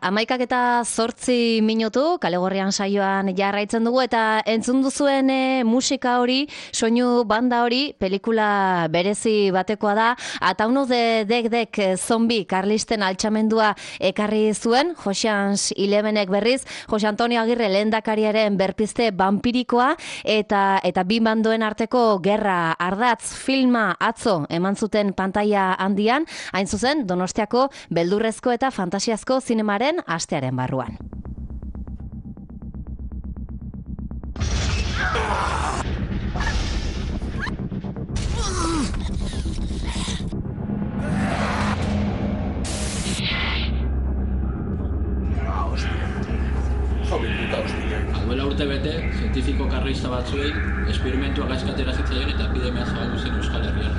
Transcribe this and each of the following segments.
11:08 Kalegorrian saioan jarraitzen dugu eta entzun duzuen musika hori, soinu banda hori, pelikula berezi batekoa da. Atauno de Dek zombi karlisten altxamendua ekarri zuen, Ocean's 11ek berriz, Jose Antonio Agirre lehendakariaren berpizte vampirikoa eta bi bandoen arteko gerra ardatz filma atzo eman zuten pantaila handian, hain zuzen Donostiako beldurrezko eta fantasiazko zinemaren astearen barruan. Duela urte bete, zientifiko karlista batzuei esperimentua gaizkatera zitzaion eta epidemia zabaldu zen Euskal Herrian.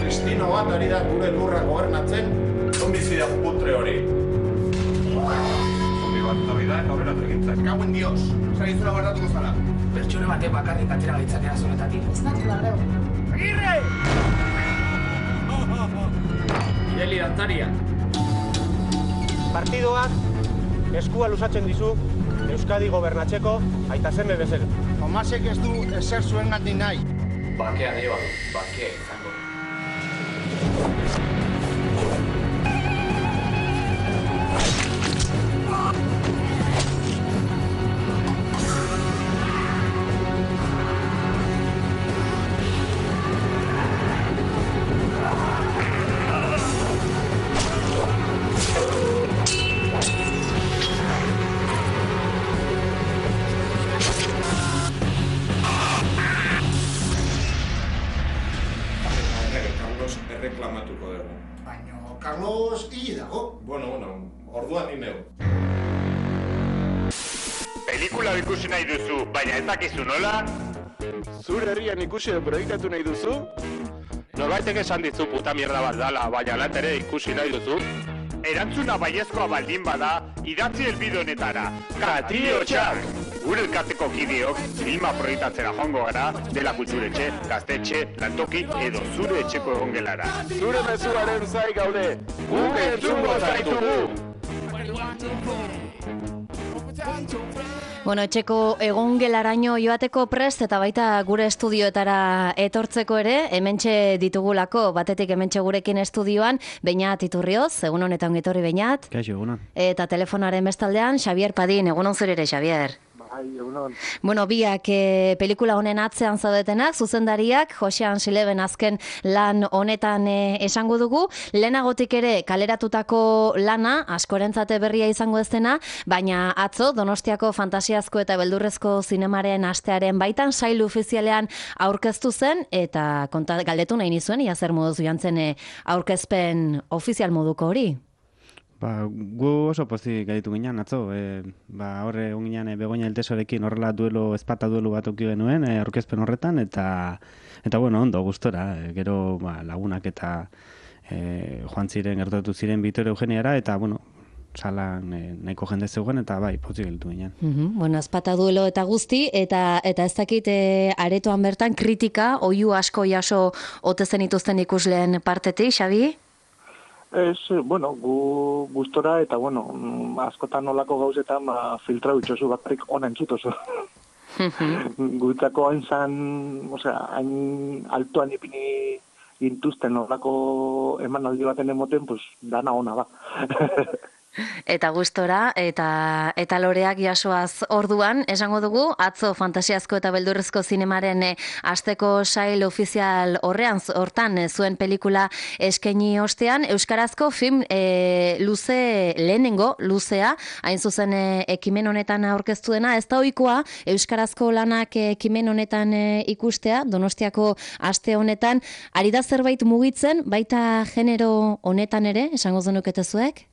Kristino bat ari da gure lurra gobernatzen. Zombizida putre hori. Zombi bat torri da eta horrela tregintzen. Kauen dios, zaritzura guardatuko zara. Pertsone batek bakarrik atera gaitzakera zonetatik. Ez natura greu. Agirre! Ireli dantaria. Partidoak eskua luzatzen dizu Euskadi gobernatzeko aita seme bezala. Tomasek ez du ezer zuen gandik nahi. Bakea dio, bakea izango. Erreklamatuko dugu. Baina Carlos hili dago. Bueno, orduan ni neu. Pelikula ikusi nahi duzu, baina ez dakizu nola? Zure herrian ikusi edo proiektatu nahi duzu? Norbaitek esan dizu puta mierda bat dala, baina lat ere ikusi nahi duzu? Erantzuna baiezkoa baldin bada, idatzi helbide honetara. Katio txak! Gure elkarteko kideok, filma proiektatzera joango gara, dela kulturetxe, gaztetxe, lantoki edo zure etxeko egongelara. Zure mezuaren zai gaude, guk entzungo zaitugu! Bueno, etxeko egongelaraino joateko prest eta baita gure estudioetara etortzeko ere, hementxe ditugulako, batetik hementxe gurekin estudioan, Beñat Iturrioz, egun honetan ongitorri Beñat. Kaixo, egunon. Eta telefonaren bestaldean, Xavier Padin, egunon zure ere, Xavier. Bueno, biak pelikula honen atzean zaudetenak, zuzendariak, Ocean's 11 azken lan honetan esango dugu. Lehenagotik ere kaleratutako lana, askorentzate berria izango ez dena, baina atzo Donostiako fantasiazko eta beldurrezko zinemaren astearen baitan sail ofizialean aurkeztu zen, eta galdetu nahi nizuen, ia zer moduz joan zen aurkezpen ofizial moduko hori. Gu oso pozik gaitu ginen, atzo. Horre ginen Begoña Eltesorekin horrela ezpata duelu bat auki genuen, aurkezpen horretan, eta bueno, ondo, gustora. Gero lagunak eta joan ziren, gertatu ziren Bitore Eugeniara, eta bueno, salan nahiko jende zegoen, eta bai, pozik gaitu ginen. Bueno, ezpata duelo eta guzti, eta ez dakit aretoan bertan kritika, oihu asko jaso ote zen ituzten ikusleen partetik, Xabi? Bueno, gu gustora eta, bueno, askotan olako gauzetan filtra bitxosu bakarrik ona entzutozu. Gutzako hain altuan ipini intuzten olako emanaldi baten emoten, pues, dana ona ba. Eta gustora, eta loreak jasoaz orduan, esango dugu, atzo fantasiazko eta beldurrezko zinemaren asteko sail ofizial hortan zuen pelikula eskaini ostean, euskarazko film lehenengo luzea, hain zuzen ekimen honetan aurkeztu dena, ez da ohikoa euskarazko lanak ekimen honetan ikustea, Donostiako aste honetan, ari da zerbait mugitzen, baita genero honetan ere, esango zenukete zuek?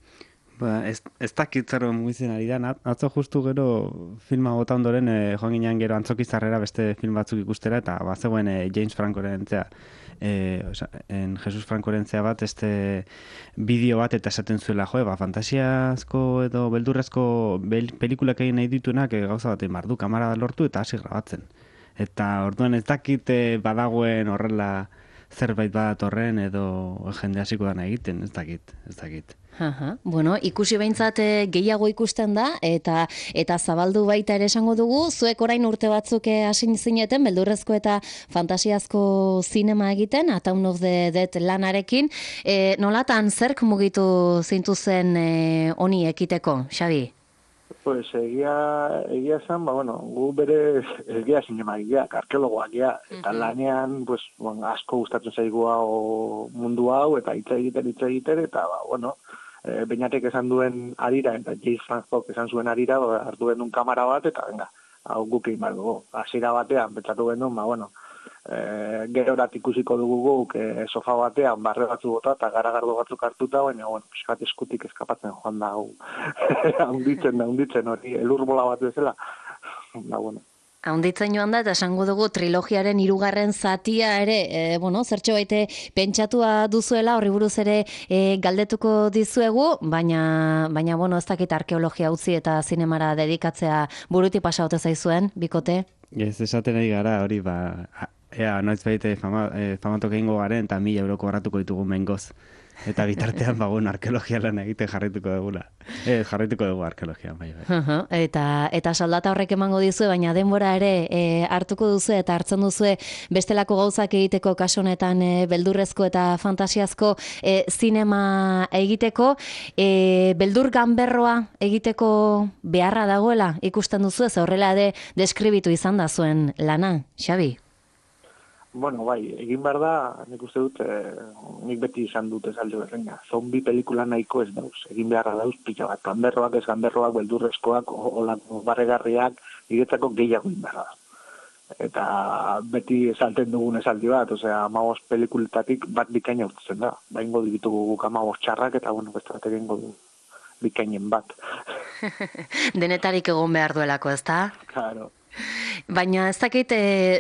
Ez dakit zer mugitzen ari da, atzo justu gero filma bota ondoren joan ginean gero Antzokizarrera beste film batzuk ikustera, eta bazegoen James Francoren Jesus Francoren bat, bideo bat eta esaten zuela, fantasiazko edo beldurrezko pelikulak egin nahi dituenak gauza baten bardu, kamara lortu eta hasi grabatzen. Eta orduan ez dakit badagoen horrela zerbait badatorren edo jende hasiko dana egiten, ez dakit. Bueno, ikusi behintzat gehiago ikusten da, eta zabaldu baita ere esango dugu, zuek orain urte batzuk hasi zineten, beldurrezko eta fantasiazko zinema egiten, Town of the Dead lanarekin, nolatan zerk mugitu zintuzen honi ekiteko, Xabi? Pues egia zen, gu bere egia zinema egiak, arkeologoak egia, eta lanean, asko gustatzen zaigu hau mundu hau, eta hitz egiten, eta Beñatek esan duen arira, eta James Francook esan zuen arira, hartu genuen kamera bat, eta venga, hau guk egin behar dugu. Hasiera batean, pentsatu genuen, gerorat ikusiko dugu guk sofa batean, barre batzu bota, eta garagardo batzuk hartuta, baina, piskat eskutik eskapatzen joan da, hau, haunditzen hori, elurbola bat bezala, Haunditzen joan da, eta esango dugu trilogiaren 3. zatia ere, zertxo baite pentsatua duzuela, horri buruz ere galdetuko dizuegu, baina, ez dakit arkeologia utzi eta zinemara dedikatzea buruti pasaute zaizuen, bikote? Ez esaten ari gara, hori, ea, noiz baite famatok egingo garen, eta 1.000 euro kobratuko ditugu mengoz. Eta bitartean arkeologia lan egiten jarraituko dugula. Jarraituko dugu arkeologia, bai. Eta soldata horrek emango dizue, baina denbora ere hartuko duzu eta hartzen duzu bestelako gauzak egiteko kasu honetan beldurrezko eta fantasiazko zinema egiteko, beldur ganberroa egiteko beharra dagoela ikusten duzu, ez horrela ere deskribitu izan da zuen lana, Xabi? Bai, egin behar da, nik uste dut, nik beti izan dut esalde berreina. Zombi pelikula nahiko ez dauz, egin beharra dauz pila bat. Ganberroak, ez ganberroak, beldurrezkoak, olako barregarriak, iretzako gehiago egin behar da. Eta beti esalten dugun esaldi bat, 15 pelikuletatik bat bikaina urtzen da. Baingo ditugu guk 15 txarrak, eta beste egingo du bikainen bat. Denetarik egon behar duelako, ezta? Claro. Baina ez dakit,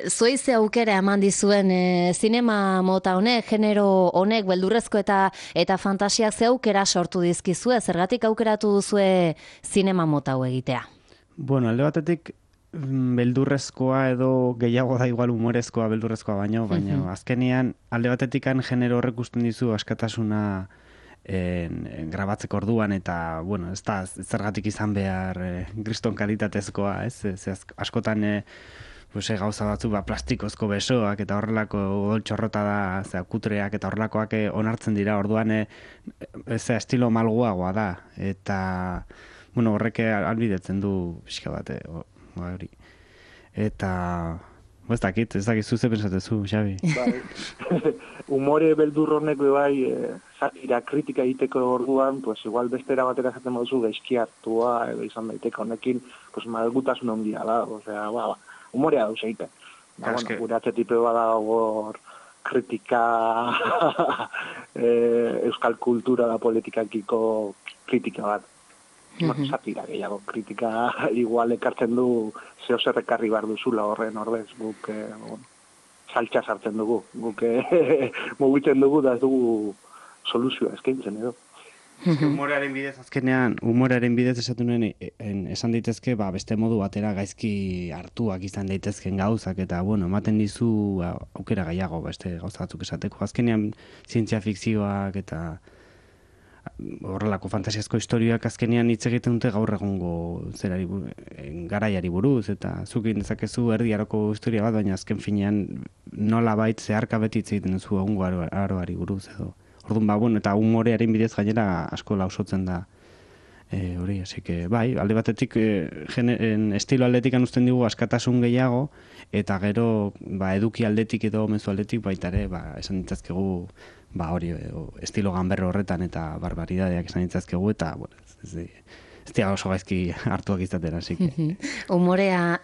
zueize aukera eman dizuen zinema mota honek, genero honek, beldurrezko eta fantasiak ze aukera sortu dizkizue, zergatik aukeratu duzue zinema mota hau egitea? Alde batetik beldurrezkoa edo gehiago da igual humorezkoa beldurrezkoa baina azkenean alde batetik genero horrek usten dizu askatasuna grabatzeko orduan eta, ez da zergatik izan behar kriston kalitatezkoa, askotan gauza batzu plastikozko besoak eta horrelako odoltxorrota da, kutreak eta horrelakoak onartzen dira, orduan estilo malguagoa da, eta horrek albidetzen du pixka bat, hori. Eta ez dakit zuze pensatezu, Xabi. Humore beldur honek satira kritika egiteko orduan, igual bestera batera jaten moduzu gaizki hartua, edo izan daiteke honekin, malgutasun handia da, humorea dauz egiten. Gure atxetipe bada hor kritika, euskal kultura da politikakiko kritika bat. Satira gehiago, kritika igual ekartzen du zeo zerrekarri behar duzula horren ordez, guk saltxa sartzen dugu, guk mugitzen dugu da ez dugu soluzioa eskaintzen edo. Humorearen bidez azkenean, esatu nuen esan daitezke beste modu batera gaizki hartuak izan daitezken gauzak eta ematen dizu aukera gehiago beste gauza batzuk esateko. Azkenean zientzia fikzioak eta horrelako fantasiazko historioak azkenean hitz egiten dute gaur egungo garaiari buruz, eta zuk egin dezakezu erdi aroko historia bat, baina azken finean nola bait zeharka beti hitz egiten duzu egungo aroari buruz edo. Orduan, eta humorearen bidez gainera asko lausotzen da hori, así que bai, alde batetik estilo aldetikan uzten digu askatasun gehiago, eta gero eduki aldetik edo mezu aldetik baita ere, esan ditzazkegu hori, estilo ganberro horretan eta barbaridadeak esan ditzazkegu, eta ez dira oso gaizki hartuak izaten, así que. Humorea,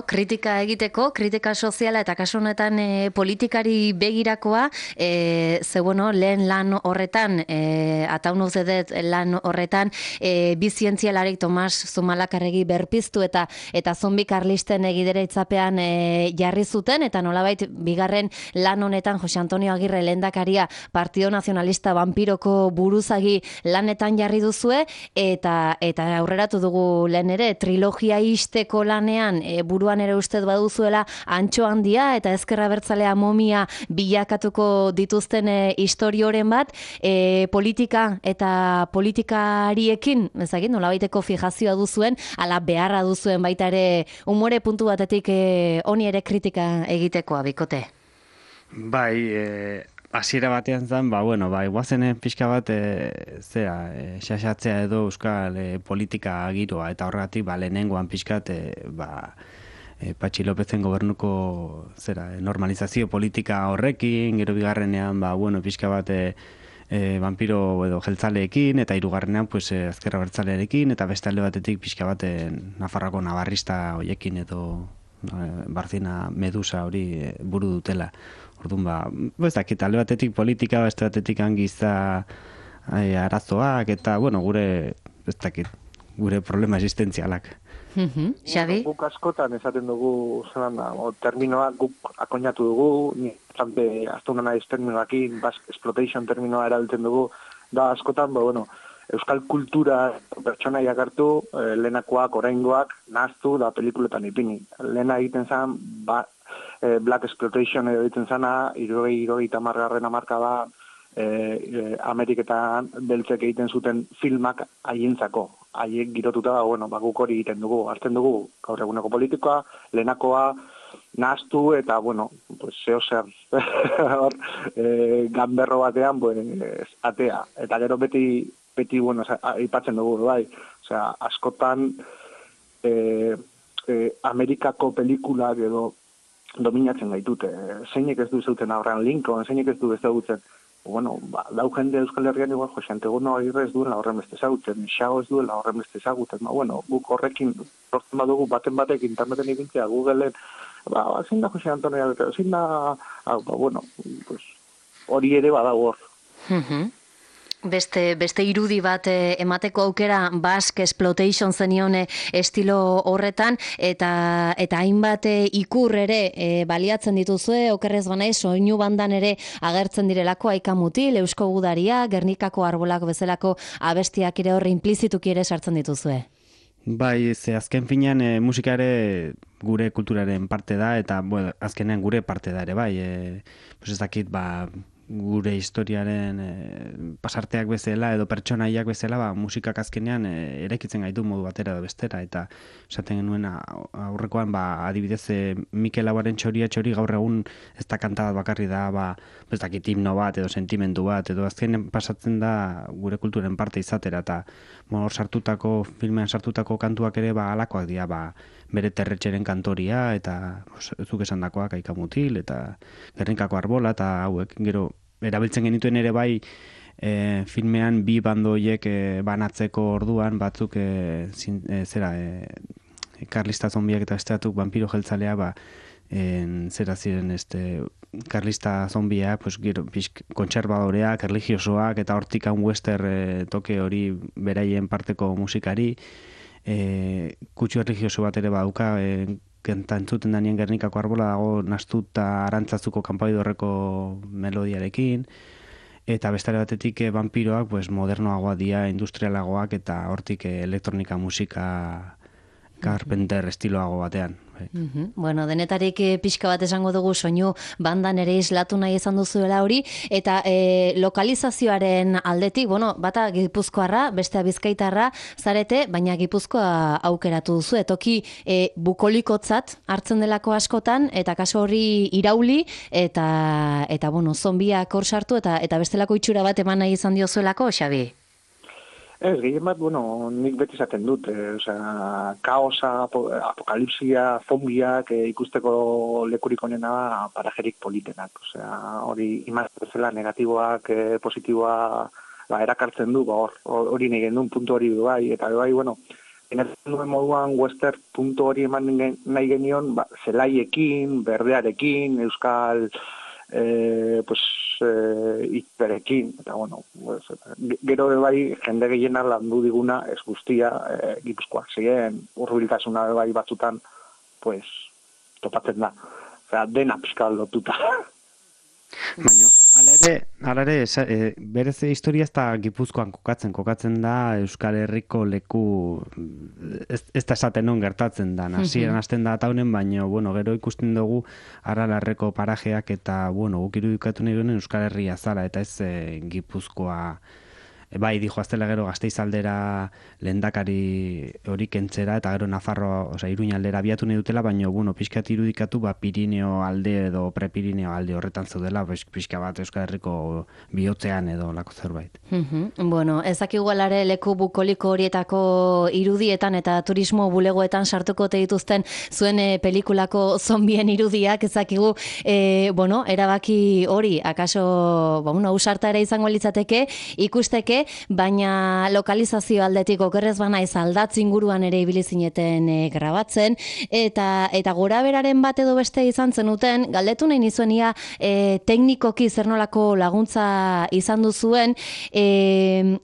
kritika egiteko, kritika soziala eta kasu honetan politikari begirakoa, lehen lan horretan, Town of the Dead lan horretan, bi zientzialarik Tomas Zumalakarregi berpiztu eta zombi karlisten egidere itzapean jarri zuten, eta nolabait bigarren lan honetan Jose Antonio Agirre lehendakaria Partido Nacionalista vampiroko buruzagi lanetan jarri duzue, eta eta aurreratu dugu lehen ere, trilogia isteko lanean buruan ere ustez baduzuela Antxo Handia eta Ezker Abertzalea momia bilakatuko dituzten istorioren bat, politika eta politikariekin, ezagik, nolabaiteko fijazioa duzuen, ala beharra duzuen baita ere umore puntu batetik honi ere kritika egitekoa, Bikote. Bai, hasiera batean zen, guazen pixka bat xaxatzea edo euskal politika giroa, eta horregatik lehenengoan pixkat Patxi Lopezen gobernuko normalizazio politika horrekin, gero bigarrenean pixka bat vampiro edo jeltzaleekin, eta hirugarrenean Ezker Abertzalearekin, eta beste alde batetik pixka bat Nafarroako nabarrista hoiekin edo Barzina Medusa hori buru dutela. Orduan, ez dakit, alde batetik politika, beste batetik giza arazoak, eta, gure, ez dakit, gure problema existentzialak. Xabi? Guk askotan esaten dugu, terminoak guk akoinatu dugu, nire aztuna naiz terminoakin, exploitation terminoa erabiltzen dugu, da askotan, euskal kultura pertsonaiak hartu, lehenakoak, oraingoak, nahaztu, da pelikuletan ipini. Lehena egiten zen, Black Exploitation edo egiten zena, 70 hamarka da, Ameriketan beltzek egiten zuten filmak haientzako. Haiek girotuta, guk hori egiten dugu. Hartzen dugu gaur eguneko politikoa, lehenakoa, nahaztu, eta, zeo zer, ganberro batean, atea. Eta gero beti, aipatzen dugu, bai. Osea, askotan, Amerikako pelikulak edo dominatzen gaitute. Zeinek ez du zeuten Abraham Lincoln, zeinek ez du ezagutzen. Dau jende Euskal Herrian igual, Jose Antegono Agirre ez duela horren beste ezagutzen, Xago ez duela horren beste ezagutzen. Guk horrekin, lortzen badugu baten batek interneten ikintzea, Googleen, zein da Jose Antonio Agirre, zein da, hori ere badago hor. Beste irudi bat emateko aukera Basque Exploitation zenion estilo horretan, eta hainbat ikur ere baliatzen dituzue, okerrez banaiz, soinu bandan ere agertzen direlako Aika Mutil, Eusko Gudaria, Gernikako Arbolak bezalako abestiak ere horre implizituki ere sartzen dituzue. Bai, azken finean musika ere gure kulturaren parte da, eta azkenean gure parte da ere, bai. Ez dakit, gure historiaren pasarteak bezala edo pertsonaiak bezala, musikak azkenean eraikitzen gaitu modu batera edo bestera, eta esaten genuen aurrekoan adibidez Mikel Lauaren Txoria txori gaur egun ez da kanta bat bakarri da, ez dakit himno bat edo sentimendu bat, edo azkenean pasatzen da gure kulturen parte izatera, eta hor sartutako, filmean sartutako kantuak ere alakoak dira, bere Terretxeren kantoria, eta zuk esandakoak Aika Mutil, eta Gernikako Arbola, eta hauek, gero erabiltzen genituen ere bai filmean bi bandoiek banatzeko orduan, batzuk karlista zombiak eta besteatuk vampiro jeltzalea, zera ziren karlista zombia, gero kontserbadoreak, erligiosoak, eta hortik western toke hori beraien parteko musikari, kutsu erligioso bat ere baduka, kenta entzuten danien Gernikako Arbola dago nastuta Arantzazuko kanpaidorreko melodiarekin, eta bestare batetik vampiroak modernoagoa dira, industrialagoak, eta hortik elektronika musika Carpenter estiloago batean. Denetarik pixka bat esango dugu soinu bandan ere islatu nahi izan duzuela hori, eta lokalizazioaren aldetik, bata Gipuzkoarra, bestea Bizkaitarra zarete, baina Gipuzkoa aukeratu duzu, toki bukolikotzat hartzen delako askotan, eta kaso hori irauli, eta zombiak hor sartu, eta bestelako itxura bat eman nahi izan diozuelako, Xabi? Ez, gehien bat, nik beti izaten dut, kaosa, apokalipsia, zombiak ikusteko lekurik onena parajerik politenak. Hori imaztezela negatiboak, positiboa erakartzen du, hori nahi gendun puntu hori bai, eta bai, enetzen duen moduan western puntu hori eman nahi genion, zelaiekin, berdearekin, euskal ikperekin, eta gero bai jende gehiena landu diguna ez guztia Gipuzkoak ziren, hurbiltasuna bai batzutan topatzen da, dena pixka lotuta. Baina, hala ere, berez historia ez da Gipuzkoan kokatzen da Euskal Herriko leku, ez da esaten non gertatzen da, hasieran hasten da taunen, baina, bueno, gero ikusten dugu Aralarreko parajeak eta, bueno, guk irudikatu nahi duen Euskal Herria zala, eta ez Gipuzkoa, bai, dijo aztela gero Gasteizaldera lehendakari hori kentzera, eta gero Nafarroa, Iruñaldera abiatu nahi dutela, baina, bueno, pixkat irudikatu, Pirineo alde edo Prepirineo alde horretan zaudela, pixka bat Euskal Herriko bihotzean edo lako zerbait. Bueno, ez dakigu alare leku bukoliko horietako irudietan eta turismo bulegoetan sartuko te dituzten zuen pelikulako zombien irudiak, ez dakigu, bueno, erabaki hori, akaso, bueno, ausarta ere izango litzateke, ikusteke, baina lokalizazio aldetik okerrez banaiz aldatz inguruan ere ibili zineten grabatzen, eta gora beraren bat edo beste izan zenuten, galdetu nahi nizuen ia teknikoki zer nolako laguntza izan duzuen,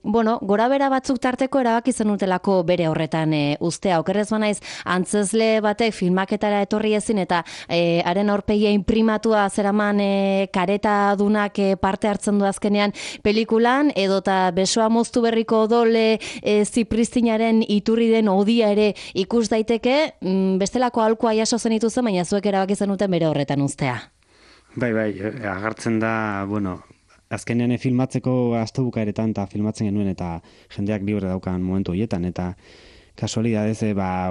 bueno, gora bera batzuk tarteko erabaki zenutelako bere horretan ustea, okerrez banaiz antzezle batek filmaketara etorri ezin eta haren aurpegia inprimatua zeraman kareta dunak parte hartzen du azkenean pelikulan, edota besoa moztu berriko odole zipristinaren iturri den odia ere ikus daiteke, bestelako aholkua jaso zenituzen, baina zuek erabaki zenuten bere horretan ustea. Bai, agartzen da, bueno, azkenean filmatzeko astebukaeretan eta filmatzen genuen eta jendeak libre daukan momentu horietan, eta kasualidadez,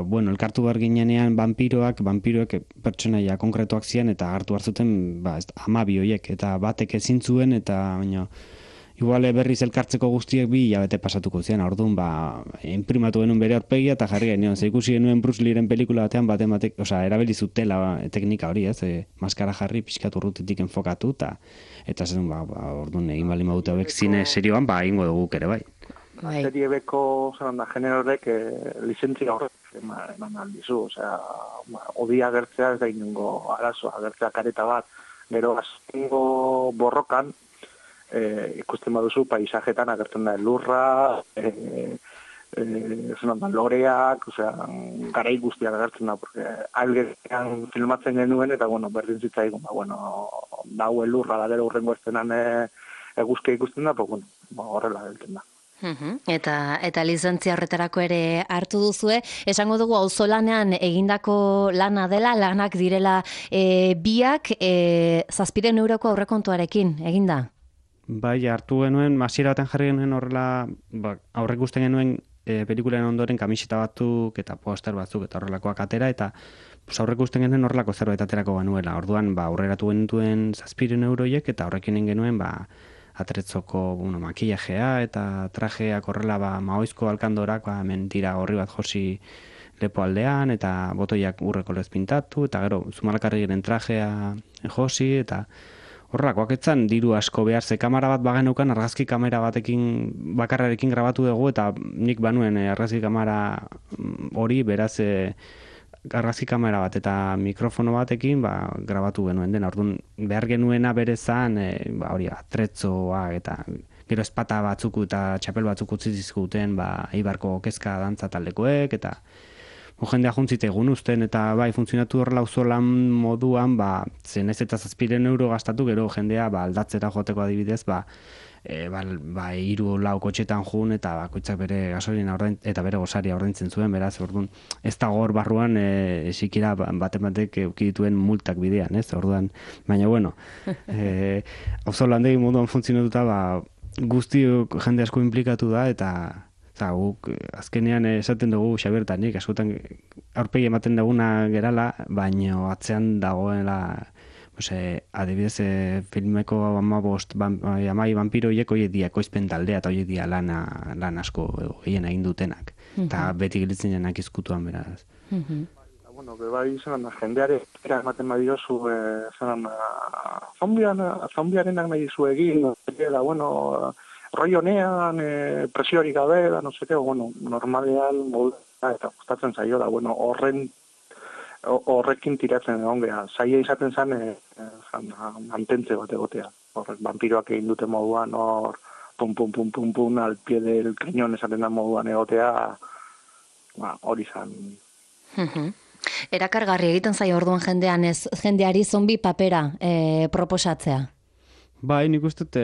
bueno, elkartu behar ginenean vampiroek pertsonaia konkretuak zian eta hartu hartzuten 12 horiek, eta batek ezin zuen, eta baina igual berriz elkartzeko guztiek 2 hilabete pasatuko zian, orduan imprimatu genuen bere aurpegia eta jarri genuen, ikusi genuen Bruce Leeren pelikula batean batek, erabili zutela teknika hori, maskara jarri, pixkat urrutitik enfokatu, eta zen, orduan egin bali maute hauek zine serioan, egingo dugu ere bai. Serie beko, genero horrek lizentzia horrek eman aldizu, odia agertzea ez da inungo arazoa, agertzea kareta bat, gero azkengo borrokan, ikusten baduzu paisajetan agertzen da lurra, loreak, garai guztiak agertzen da, porque algean filmatzen genuen, eta, bueno, berdin zitzaigun, daue lurra da gero urrengo estenan eguzkia ikusten da, horrela gelten da. Eta lizentzia horretarako ere hartu duzue, esango dugu auzolanean egindako lana dela, lanak direla biak 700 euroko aurrekontuarekin, eginda? Bai, hartu genuen, hasiera baten jarri genuen horrela, aurre ikusten genuen pelikulen ondoren kamiseta batzuk eta poster batzuk eta horrelakoak atera, eta aurre ikusten genuen horrelako zerbait aterako genuela. Orduan, aurreratu genuen 700 euroiek eta horrekin genuen atretzoko makillajea eta trajeak horrela maoizko alkandorak mentira horri bat josi lepo aldean eta botoiak urreko lez pintatu eta gero Zumalakarriren trajea josi eta horrelakoak etzan diru asko behar ze kamera bat bagenukan argazki kamera batekin bakarrarekin grabatu dugu eta nik banuen argazki kamera hori beraz argazki kamera bat eta mikrofono batekin grabatu genuen dena. Orduan behar genuena berezan hori atretzoa eta gero espata batzuk eta txapel batzuk utzi dizkuten Eibarko kezka dantza taldekoek eta jendea juntzite egun usten eta funtzionatu horrela auzolan moduan zen ez eta 700 euro gastatu gero jendea aldatzera joteko adibidez 3-4 kotxetan jun eta bakoitzak bere gasolina eta bere gosaria ordaintzen zuen, beraz, orduan ez da hor barruan sikira batek eduki dituen multak bidean, ez? Orduan, baina bueno, auzolandegi moduan funtzionatuta guztiok jende asko inplikatu da eta guk azkenean esaten dugu Xabiertanik, askotan aurpegi ematen duguna gerala, baina atzean dagoela adibidez filmeko 15 vampiroiek horiek dia ekoizpen taldea eta horiek dia lan asko gehien egin dutenak. Eta beti gilitzen janak izkutuan beraz. Bai, jendeare ematen badiozu zombiarenak nahi zu egin, roi honean, presiorik gabe, normalean eta gustatzen zaio da, horrekin tiratzen egon geha. Zaila izaten zen mantentze bat egotea. Horrek, vampiroak egin dute moduan, pum, al pie del cañón esaten da moduan egotea, hori zan. Erakargarri egiten zaio orduan jendeari zombi papera proposatzea. Bai, nik uste dut,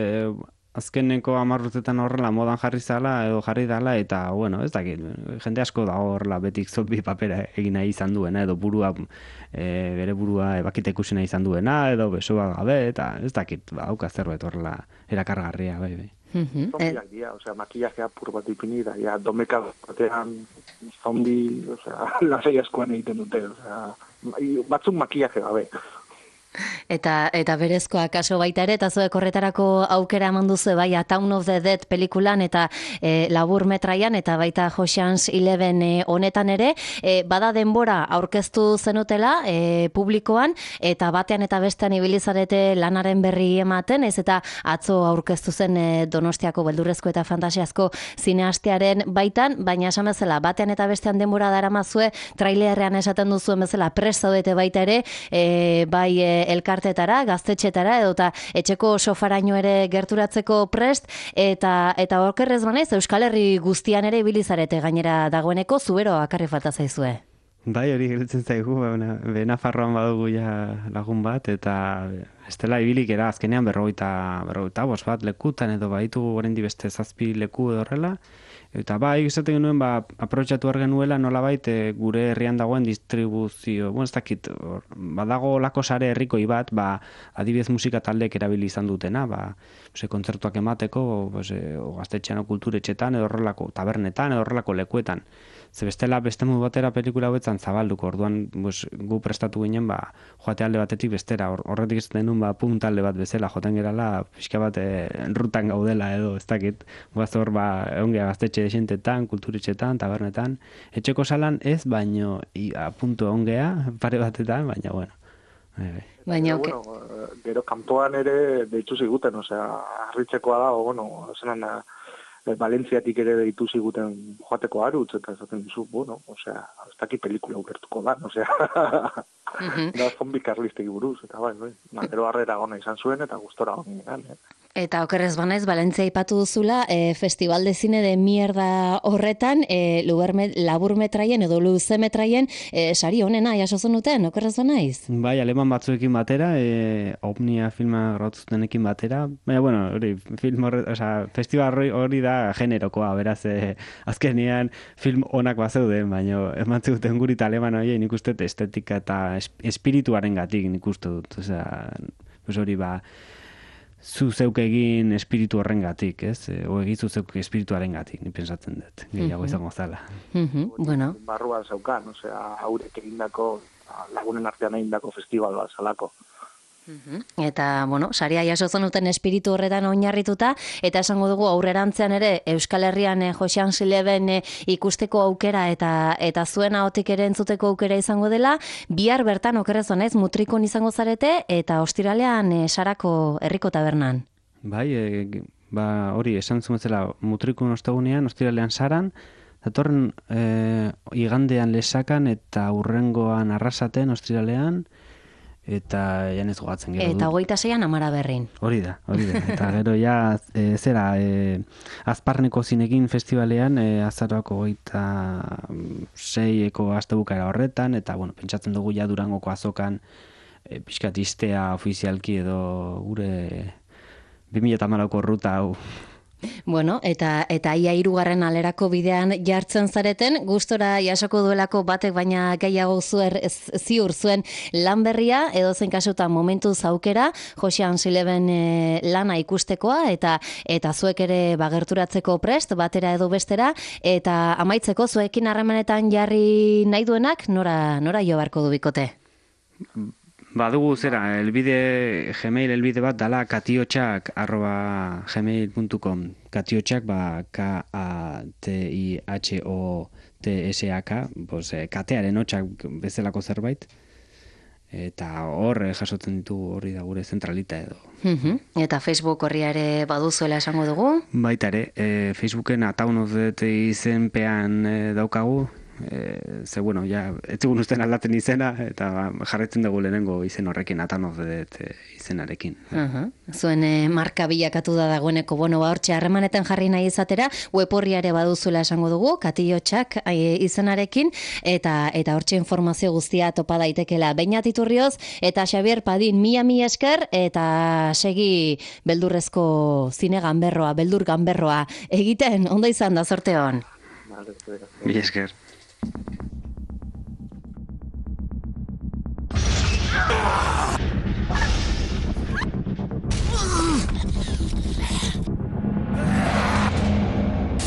azkeneko 10 urtetan horrela modan jarri zala edo jarri dala eta, bueno, ez dakit, jende asko dago horrela betik zombi papera egin nahi izan duena edo bere burua ebakita ikusi nahi izan duena edo besoa gabe eta ez dakit, hauka zerbait horrela erakargarria, bai. Zombiak dira, makillajea pur bat ipini da, domeka batean zombi, lasai askoan egiten dute, batzuk makillaje gabe. Eta berezkoa kaso baita ere, eta zuek horretarako aukera eman duzu, bai, Town of the Dead pelikulan eta labur metraian, eta baita Ocean's 11 honetan ere, bada denbora aurkeztu zenutela publikoan, eta batean eta bestean ibilizarete lanaren berri ematen, ez eta atzo aurkeztu zen Donostiako beldurrezko eta fantasiazko zineastearen baitan, baina esan bezala, batean eta bestean denbora daramazue, trailerrean esaten duzuen bezala, prest zaudete baita ere, bai elkartetara, gaztetxetara, edota etxeko sofaraino ere gerturatzeko prest, eta okerrez banaiz, Euskal Herri guztian ere ibilizarete gainera dagoeneko, zubero akarri falta zaizue. Bai, hori gelitzen zaigu, Nafarroan badugu ja lagun bat, eta estela ibilik era azkenean 45 bat lekutan, edo baitu oraindik beste 7 leku edo horrela, eta bai, esaten genuen, aprobetxatu behar genuela nolabait gure herrian dagoen distribuzio, ez dakit, badago lako sare herrikoi bat, adibidez musika taldeek erabili izan dutena, kontzertuak emateko, gaztetxean kulturetxetan, edo horrelako tabernetan, edo horrelako lekuetan. Ze bestela, beste modu batera pelikula hauetan zabalduko, orduan gu prestatu ginen, joate alde batetik bestera, horretik ez denun, puntalde bat bezala, joten gerala, pixka bat rutan gaudela edo, ez dakit, guaz hor, ongea gaztetxe esentetan, kulturetxetan, tabernetan, etxeko salan ez, baino, puntu ongea, pare batetan, baina, bueno. Baina, gero kanpoan ere deitu ziguten, harritzekoa da, zenan, Valentziatik ere deitu ziguten joateko arutz, eta esaten dizu, ez dakit pelikula ulertuko da, da zombi karlistek buruz, eta gero harrera gona izan zuen, eta gustora gona. Eta okerrez banaiz, Valentzia ipatu duzula, Festival de Cine de Mierda horretan, labur metraien edo luze metraien, sari honena jaso zenuten, okerrez banaiz? Bai, aleman batzuekin batera, Omnia filma grautuzutenekin batera, baina, bueno, hori, festival hori da generokoa, beraz, azkenean film onak bazeuden, baina eman zuten guri aleman hori, nik uste estetika eta espirituaren gatik nik uste dut, hori zu zeuk egin espiritu horren gatik, ez? O egizu zeuk espirituaren gatik, ni pensatzen dut, gehiago izango zala. Bueno. Barruan zeukan, haurek egindako, lagunen artean egindako festival bat zalako. Eta, bueno, saria jaso zenuten espiritu horretan oinarrituta, eta esango dugu aurrerantzean ere Euskal Herrian Ocean's 11 ikusteko aukera eta zuen ahotik ere entzuteko aukera izango dela, bihar bertan okerrez honez mutrikon izango zarete, eta ostiralean Sarako herriko tabernan. Bai, hori esan zumezela mutrikon ostegunean, ostiralean Saran, datorren igandean Lesakan eta urrengoan Arrasaten ostiralean, eta janez gogatzen gero dut. Eta 26an Amaraberrin. Hori da. Eta gero ja, Azparneko zinekin festivalean, azaroako 26eko astebukaera horretan, eta, bueno, pentsatzen dugu ja Durangoko azokan pixkat istea ofizialki edo gure 2014ko ruta hau. Bueno, eta ia 3. alerako bidean jartzen zareten, gustora jasoko duelako batek baina gehiago ziur zuen lan berria, edozein kasutan momentu zaukera, Ocean's 11 lana ikustekoa, eta zuek ere gerturatzeko prest, batera edo bestera, eta amaitzeko zuekin harremanetan jarri nahi duenak, nora jo barko du bikote? Badugu zera, Gmail elbide bat dala katiotxak@gmail.com. Katiotxak, KATIHOTSAK, katearen hotxak bezalako zerbait. Eta hor jasotzen ditu hori da gure zentralita edo. Eta Facebook horria ere baduzuela esango dugu? Baita ere, Facebooken Town of the Dead izenpean daukagu, ze bueno, ja, etzigun usten aldatzen izena, eta jarretzen dugu lehenengo izen horrekin, Atanoz izenarekin. Zuen marka bilakatu da dagoeneko, bueno, hortxe harremanetan jarri nahi izatera, web horriare baduzula esango dugu, Katillotxak izenarekin, eta hortxe informazio guztia topa daitekela. Beñat Iturrioz eta Xabier Padin, mila esker, eta segi beldurrezko zine ganberroa, beldur ganberroa egiten, ondo izan da, zorte hon. Mila esker.